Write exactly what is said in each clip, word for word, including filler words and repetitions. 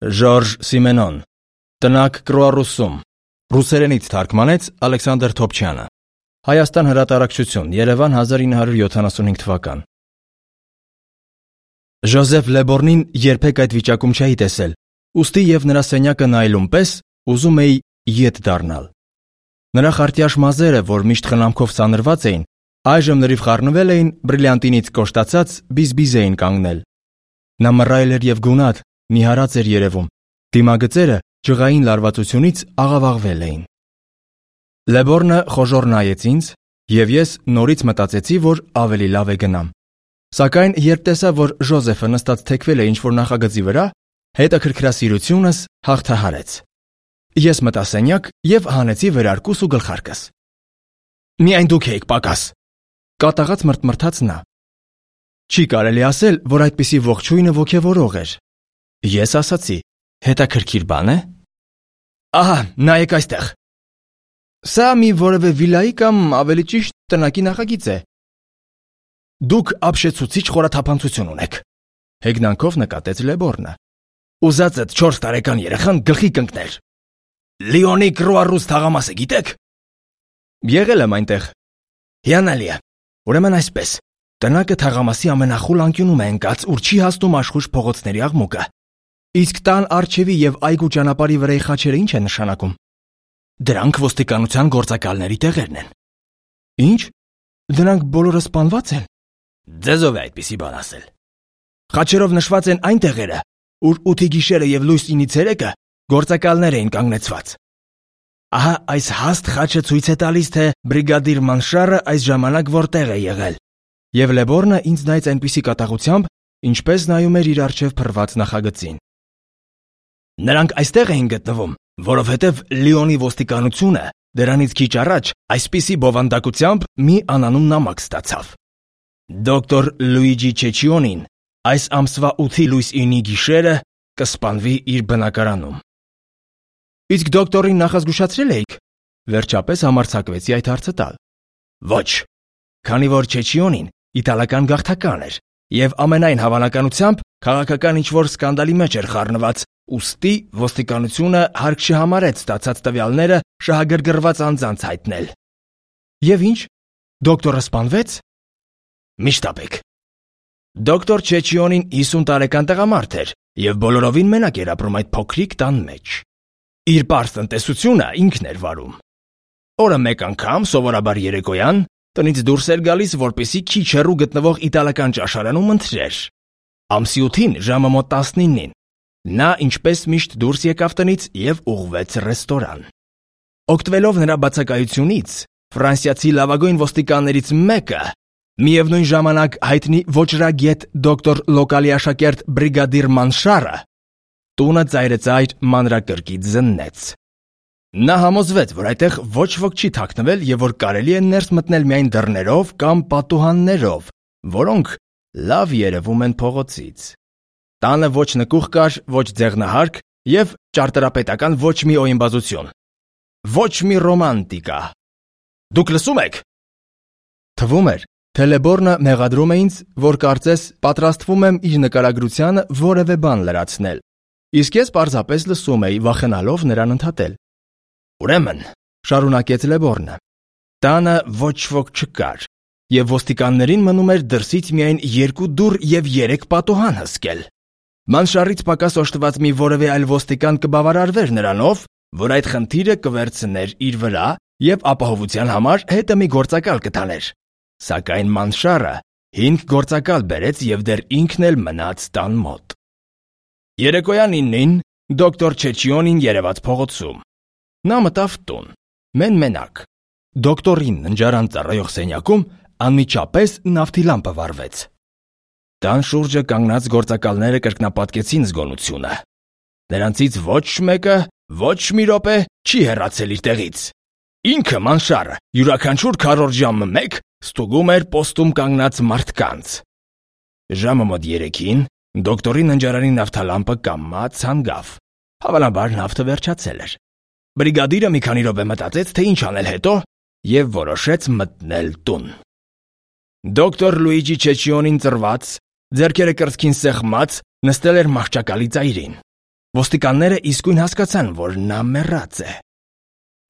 Ժորժ Սիմենոն, Տնակ Կրուարուսում, ռուսերենից թարգմանեց Ալեքսանդր Թոփչյանը, Հայաստան հրատարակչություն, Երևան հազար ինը հարյուր յոթանասունհինգ թվական։ Ժոզեֆ Լեբորնին երբեք այդ վիճակում չէի տեսել, ուստի եւ նրա սենյակը նայելուն պես ուզում էի ետ դառնալ։ Նրա խարտյաշ մազերը, որ միշտ խնամքով սանրված էին, այժմ լրիվ խառնվել էին, բրիլյանտինից կոշտացած բիզբիզ էին կանգնել։ Նա մռայլ էր եւ գունատ, նիհարած էր երևում, դիմագծերը ջղային լարվածությունից աղավաղվել էին։ Լեբորնը խոժոռ նայեց ինձ, եւ ես նորից մտածեցի, որ ավելի լավ է գնամ։ Սակայն երբ տեսա, որ Ժոզեֆը նստած թեքվել է ինչ-որ նախագծի վրա, հետաքրքրասիրությունս հաղթահարեց։ Ես մտա սենյակ եւ հանեցի վերարկուս ու գլխարկս։ Միայն դուք եք պակաս, կատաղած մրթմրթաց նա։ Չի կարելի ասել, որ այդպիսի ողջույնը ոգևորող էր։ Ես ասացի. հետաքրքիր բան է։ Ահա, նայեք այստեղ։ Սա մի որևէ վիլայի կամ ավելի ճիշտ տնակի նախագիծ է։ Դուք ապշեցուցիչ խորաթափանցություն ունեք, հեգնանքով նկատեց Լեբորնը։ Ուզածդ չորս տարեկան երեխան գլխի կընկներ։ Լիոնի Կրուարուս թաղամասը գիտեք։ Եղել եմ այնտեղ։ Հիանալի է։ Ուրեմն այսպես, տնակը թաղամասի ամենախուլ անկյունում է ընկած, ուր չի հասնում աշխույժ փողոցների աղմուկը։ Իսկ տան արջևի եւ այգու ճանապարհի վրայի խաչերը ինչ են նշանակում։ Դրանք ոստիկանության գործակալների տեղերն են։ Ինչ։ Դրանք բոլորը սպանված են։ Ձեզով է այդպիսի բան ասել։ Խաչերով նշված են այն տեղերը, ուր ութի գիշերը եւ լույս ինի ցերեկը գործակալներ էին կանգնեցված։ Ահա այս հաստ խաչը ցույց է տալիս, թե բրիգադիր Մանշարը այս ժամանակ որտեղ է եղել։ Եվ Լեբորնը ինձ նայեց այնպիսի կատաղությամբ, ինչպես նայում էր իր առջև փռված նախագծին։ Նրանք այստեղ էին գտնվում, որովհետև Լիոնի ոստիկանությունը դրանից քիչ առաջ այսպիսի բովանդակությամբ մի անանուն նամակ ստացավ։ Դոկտոր Լուիջի Չեչիոնին այս ամսվա ութի լույս ինի գիշերը կսպանվի իր բնակարանում։ Իսկ դոկտորին նախազգուշացրել էիք։ Վերջապես համարձակվեցի այդ հարցը տալ։ Ոչ, քանի որ Չեչիոնին իտալական գաղթական էր եւ ամենայն հավանականությամբ քաղաքական ինչ-որ սկանդալի մեջ էր խառնված, ուստի ոստիկանությունը հարկ չհամարեց ստացած տվյալները շահագրգռված անձանց հայտնել։ Եվ ինչ, դոկտորը սպանվեց։ Միշտապեք։ Դոկտոր Չեչիոնին հիսուն տարեկան տղամարդ էր եւ բոլորովին մենակ էր ապրում այդ փոքրիկ տան մեջ։ Իր պարզ տնտեսությունը ինքն էր վարում։ Օրը մեկ անգամ, սովորաբար երեկոյան, տնից դուրս էր գալիս, որպեսզի քիչ հեռու գտնվող իտալական ճաշարանում ընթրեր։ Ամսի ութին ժամը մոտ տասնինին նա ինչպես միշտ դուրս եկավ տնից եւ ուղղվեց ռեստորան։ Օգտվելով նրա բացակայությունից, ֆրանսիացի լավագույն ոստիկաններից մեկը, միևնույն ժամանակ հայտնի ոչրագետ դոկտոր լոկալի աշակերտ բրիգադիր Մանշարը, տունը ծայրծայր մանրակրկիտ զննեց։ Նա համոզվեց, որ այդտեղ ոչ ոք չի թաքնվել եւ որ կարելի է ներս մտնել միայն դռներով կամ պատուհաններով, որոնք լավ երևում են փողոցից։ Տանը ոչ նկուղ կար, ոչ ձեղնահարկ եւ ճարտարապետական ոչ մի օյնբազություն։ Ոչ մի ռոմանտիկա։ Դուք լսում եք։ Թվում էր, թե Լեբորնը մեղադրում է ինձ, որ կարծես պատրաստվում եմ իր նկարագրությանը որևէ բան լրացնել։ Իսկ ես պարզապես լսում էի, վախենալով նրան ընդհատել։ Ուրեմն, շարունակեց Լեբորնը, տանը ոչ ոք չկար, եւ ոստիկաններին մնում էր դրսից միայն երկու դուռ եւ երեք պատուհան հսկել։ Մանշարից պակաս օժտված մի որևէ այլ ոստիկան կբավարարվեր նրանով, որ այդ խնդիրը կվերցներ իր վրա եւ ապահովության համար հետը մի գործակալ կտաներ։ Սակայն Մանշարը հինգ գործակալ բերեց եւ դեռ ինքն էլ մնաց տան մոտ։ Երեկոյան իննին դոկտոր Չեչիոնին երևաց փողոցում։ Նա մտավ տուն, մեն-մենակ։ Դոկտորին ննջարան ծառայող սենյակում անմիջապես նավթի լամպը վառվեց։ Տան շուրջը կանգնած գործակալները կրկնապատկեցին զգոնությունը։ Նրանցից ոչ մեկը ոչ մի րոպե չի հեռացել իր տեղից։ Ինքը Մանշարը յուրաքանչյուր քառորդ ժամը մեկ ստուգում էր պոստում կանգնած մարդկանց։ Ժամը մոտ երեքին դոկտորի ննջարանի նավթալամպը կամաց հանգավ։ Հավանաբար նավթը վերջացել էր։ Բրիգադիրը մի քանի րոպե մտածեց, թե ինչ անել հետո, եւ որոշեց մտնել տուն։ Դոկտոր Լուիջի Չեչիոնին ծրված, ձեռքերը կրծքին սեղմած, նստել էր մահճակալի ծայրին։ Ոստիկանները իսկույն հասկացան, որ նա մեռած է։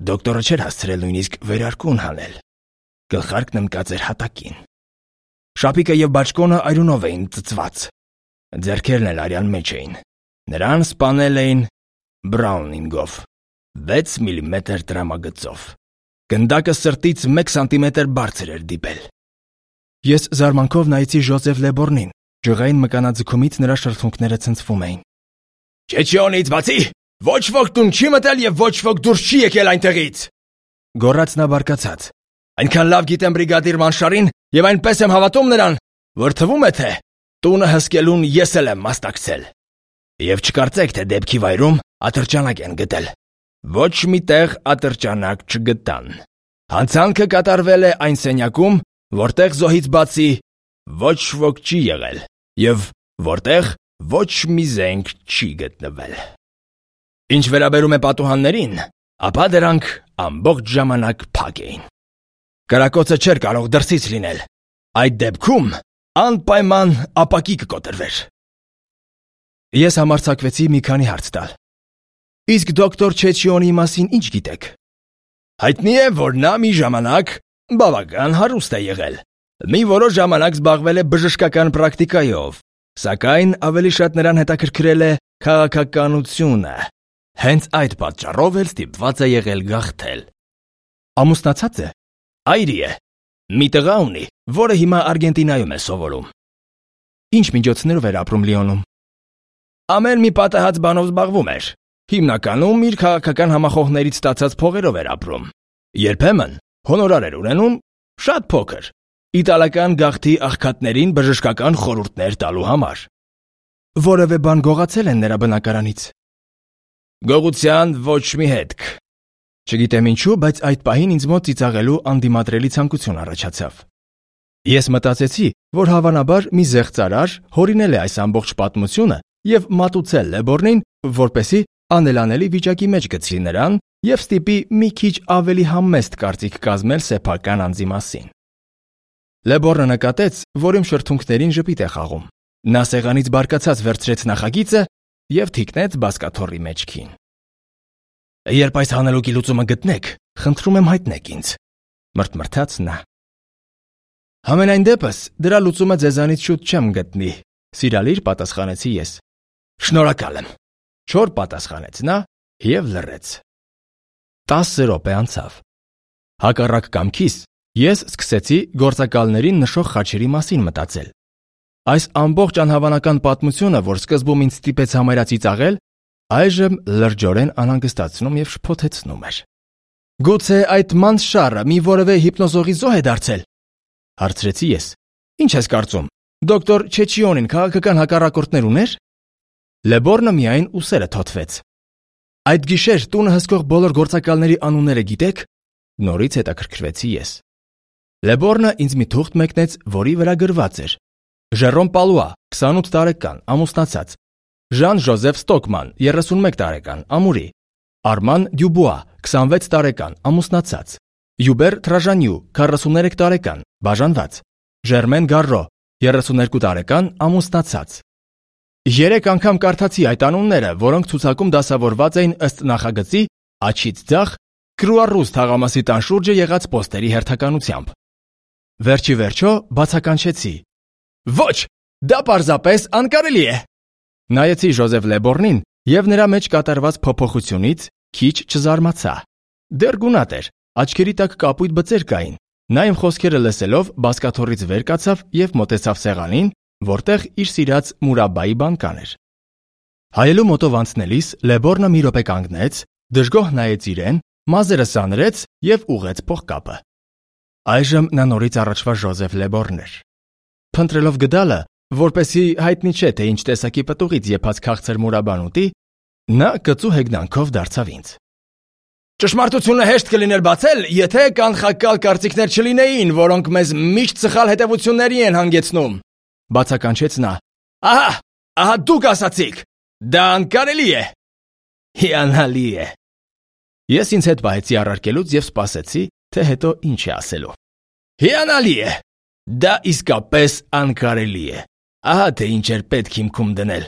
Դոկտորը չէր հասցրել նույնիսկ վերարկուն հանել։ Գլխարկն ընկած էր հատակին։ Շապիկը և բաճկոնը այրունով էին ծծված։ Ձեռքերն էլ արյան մեջ էին։ Նրան սպանել էին Բրաունինգով, վեց միլիմետր տրամագծով։ Գնդակը սրտից մեկ սանտիմետր բարձր էր դիպել։ Ես զարմանքով նայեցի Ժոզեֆ Լեբորնին, ջղային մկանաձգումից նրա շրթունքները ցնցվում էին։ Չեչիոնից բացի ոչ ոք տուն չի մտել և ոչ ոք դուրս չի եկել այնտեղից, գոռաց նա բարկացած։ Այնքան լավ գիտեմ բրիգադիր Մանշարին և այնպես եմ հավատում նրան, որ թվում է, թե տունը հսկելուն ես էլ եմ մասնակցել։ Եվ չկարծեք, թե դեպքի վայրում ատրճանակ են գտել։ Ոչ մի տեղ ատրճանակ չգտան։ Հանցանքը կատարվել է այն սենյակում, որտեղ զոհից բացի ոչ ոք չի եղել և որտեղ ոչ մի զենք չի գտնվել։ Ինչ վերաբերում է պատուհաններին, ապա դրանք ամբողջ ժամանակ փակ էին։ Կրակոցը չէր կարող դրսից լինել։ Այդ դեպքում անպայման ապակի կկոտրվեր։ Ես համարձակվեցի մի քանի հարց տալ։ Իսկ դոկտոր Չեչիոնի մասին ինչ գիտեք։ Հայտնի է, որ նա մի ժամանակ բավական հարուստ է եղել։ Մի որոշ ժամանակ զբաղվել է բժշկական պրակտիկայով, սակայն ավելի շատ նրան հետաքրքրել է քաղաքականությունը։ Հենց այդ պատճառով էլ ստիպված է եղել գաղթել։ Ամուսնացած է։ Այրի է։ Մի տղա ունի, որը հիմա Արգենտինայում է սովորում։ Ինչ միջոցներով էր ապրում Լիոնում։ Ամեն մի պատահած բանով զբաղվում էր։ Հիմնականում իր քաղաքական համախոհներից ստացած փողերով էր ապրում։ Երբեմն հոնորար էր ունենում շատ փոքր, իտալական գաղթի աղքատներին բժշկական խորհուրդներ տալու համար։ Որևէ բան գողացել են նրա բնակարանից։ Գողության ոչ մի հետք։ Չգիտեմ ինչու, բայց այդ պահին ինձ մոտ ծիծաղելու անդիմադրելի ցանկություն առաջացավ։ Ես մտածեցի, որ հավանաբար մի զեղծարար հորինել է այս ամբողջ պատմությունը և մատուցել Լեբորնին, որպեսզի անելանելի վիճակի մեջ գցի նրան և ստիպի մի քիչ ավելի համեստ կարծիք կազմել սեփական անձի մասին։ Լեբորնը նկատեց, որ իմ շրթունքներին ժպիտ է խաղում։ Նա սեղանից բարկացած վերցրեց նախագիծը և թիկնեց բազկաթոռի մեջքին։ Երբ այս հանելուկի լուծումը գտնեք, խնդրում եմ հայտնեք ինձ, մրթմրթաց նա։ Համենայն դեպս, դրա լուծումը ձեզանից շուտ չեմ գտնի, սիրալիր պատասխանեցի ես։ Շնորհակալ եմ, չոր պատասխանեց նա և լռեց։ Տասը րոպե անցավ։ Հակառակ կամքիս ես սկսեցի գործակալներին նշող խաչերի մասին մտածել։ Այս ամբողջ անհավանական պատմությունը, որ սկզբում ինձ ստիպեց համարյա ծիծաղել, այժմ լրջորեն անհանգստացնում և շփոթեցնում էր։ Գուցե այդ Մանշարը մի որևէ հիպնոզողի զոհ է դարձել, հարցրեցի ես։ Ինչ ես կարծում, դոկտոր Չեչիոնին քաղաքական հակառակորդներ ուներ։ Լեբորնը միայն ուսերը թոթվեց։ Այդ գիշեր տունը հսկող բոլոր գործակալների անունները գիտեք։ Նորից հետաքրքրվեցի ես։ Լեբորնը ինձ մի թուղթ մեկնեց, որի վրա գրված էր. Ժերոմ Պալուա, քսանութ տարեկան, ամուսնացած։ Ժան Ժոզեֆ Ստոկման, երեսունմեկ տարեկան, ամուրի։ Արման Դյուբուա, քսանվեց տարեկան, ամուսնացած։ Յուբեր Տրաժանյու, քառասուներեք տարեկան, բաժանված։ Ժերմեն Գարրո, երեսուներկու տարեկան, ամուսնացած։ Երեք անգամ կարդացի այդ անունները, որոնք ցուցակում դասավորված էին ըստ նախագծի «Աչից ձախ» Կրուառուս թաղամասի տան շուրջը եղած պոստերի հերթականությամբ։ Վերջի վերջո բացականչեցի. Ոչ, դա պարզապես անկարելի է։ Նայեցի Ժոզեֆ Լեբորնին և նրա մեջ կատարված փոփոխությունից քիչ չզարմացա։ Դեռ գունատ էր, աչքերի տակ կապույտ բծեր կային։ Նա իմ խոսքերը լսելով բազկաթոռից վեր կացավ և մոտեցավ սեղանին, որտեղ իր սիրած մուրաբայի բան էր։ Հայելու մոտով անցնելիս Լեբորնը մի րոպե կանգնեց, դժգոհ նայեց իրեն, մազերը սանրեց և ուղղեց փողկապը։ Այժմ նա նորից առաջվա Ժոզեֆ Լեբորնն էր։ Փնտրելով գդալը, որպեսզի հայտնի չէ, թե ինչ տեսակի պտուղից եփած քաղցր մուրաբան ուտի, նա կծու հեգնանքով դարձավ ինձ։ Ճշմարտությունը հեշտ կլիներ բացել, եթե կանխակալ կարծիքներ չլինեին, որոնք մեզ միշտ սխալ հետևությունների են հանգեցնում, բացականչեց նա։ Ահա, ահա դուք ասացիք, դա անկարելի է։ Հիանալի է։ Ես ինձ հետ պահեցի առարկելուց և սպասեցի, թե հետո ինչ է ասելու։ Հիանալի է։ Դա իսկապես անկարելի է։ Ահա թե ինչ էր պետք հիմքում դնել։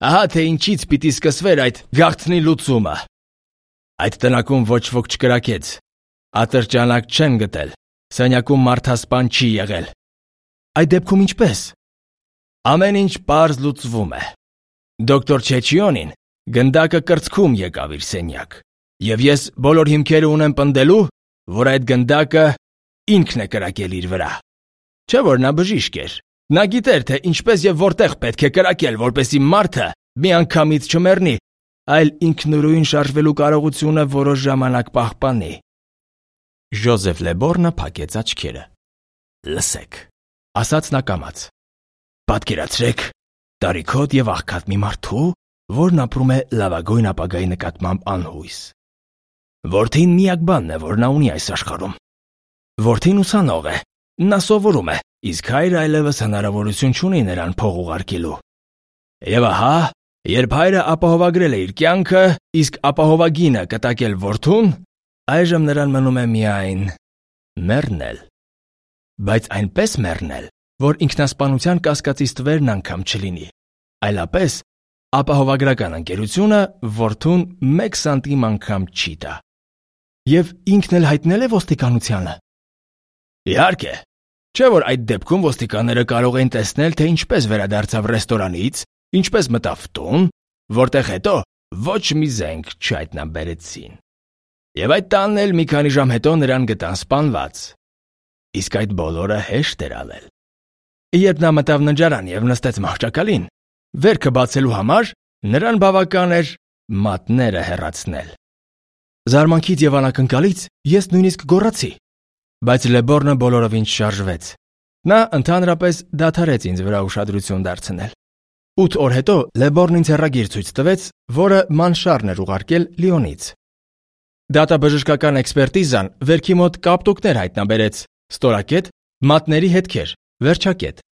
ահա թե ինչից պիտի սկսվեր այդ գաղտնի լուծումը։ Այդ տնակում ոչ ոք չկրակեց, ատրճանակ չեն գտել, սենյակում մարդասպան չի եղել։ Այդ դեպքում ինչպես։ Ամեն ինչ պարզ լուծվում է։ Դոկտոր Չեչիոնին գնդակը կրծքում եկավ իր սենյակ, եւ ես բոլոր հիմքերը ունեմ պնդելու, որ այդ գնդակը ինքն է կրակել իր վրա։ Չէ՞ որ նա բժիշկ էր։ Նա գիտեր, թե ինչպես եւ որտեղ պետք է կրակել, որպեսզի մարդը միանգամից չմեռնի, այլ ինքնուրույն շարժվելու կարողությունը որոշ ժամանակ պահպանի։ Ժոզեֆ Լեբորնը փակեց աչքերը։ Լսեք, ասաց նա կամաց։ Պատկերացրեք, տարիքոտ եւ աղքատ մի մարդու, որն ապրում է լավագույն ապագայի նկատմամբ անհույս։ Որդին միակ բանն է, որ նա ունի այս աշխարհում։ Որդին ուսանող է, նա սովորում է, իսկ հայրը այլևս հնարավորություն չունի նրան փող ուղարկելու։ Եվ ահա, երբ հայրը ապահովագրել է իր կյանքը, իսկ ապահովագինը կտակել որդուն, այժմ նրան մնում է միայն մեռնել։ Բայց այնպես մեռնել, որ ինքնասպանության կասկածից տվերն անգամ չլինի, այլապես ապահովագրական ընկերությունը որդուն մեկ սանտիմ անգամ չի տա։ Եվ ինքն էլ հայտնել է ոստիկանությանը։ Իհարկե, չէ՞ որ այդ դեպքում ոստիկանները կարող էին տեսնել, թե ինչպես վերադարձավ ռեստորանից, ինչպես մտավ տուն, որտեղ հետո ոչ մի զենք չհայտնաբերեցին։ Եվ այդ տանն էլ մի քանի ժամ հետո նրան գտան սպանված։ Իսկ այդ բոլորը հեշտ էր անել։ Երբ նա մտավ ննջարան եւ նստեց մահճակալին, վերքը բացելու համար նրան բավական էր մատները հեռացնել։ Զարմանքից եւ անակնկալից ես նույնիսկ գոռացի, բայց Լեբորնը բոլորովին չշարժվեց։ Նա ընդհանրապես դադարեց ինձ վրա ուշադրություն դարձնել։ Ութ օր հետո Լեբորնն ինձ հեռագիր ցույց տվեց, որը մանշարն էր ուղարկել Լիոնից։ Դատաբժշկական էքսպերտիզան վերքի մոտ կապտուկներ հայտնաբերեց, ստորակետ, մատների հետքեր, վերջակետ։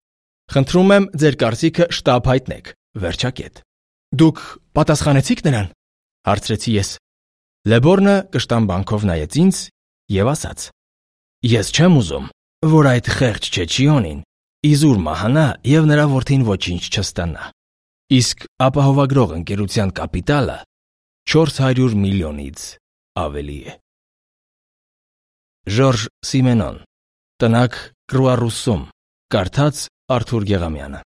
Խնդրում եմ ձեր կարծիքը շտապ հայտնեք, վերջակետ։ Դուք պատասխանեցիք նրան, հարցրեցի ես։ Լեբորնը կշտամբանքով նայեց ինձ եւ ասաց. Ես չեմ ուզում, որ այդ խեղճ Չեչիոնին իզուր մահանա եւ նրա որդին ոչինչ չստանա։ Իսկ ապահովագրող ընկերության կապիտալը չորս հարյուր միլիոնից ավելի է։ Ժորժ Սիմենոն, տնակ Կրուառուսում, կարդաց Արթուր Գեղամյանը։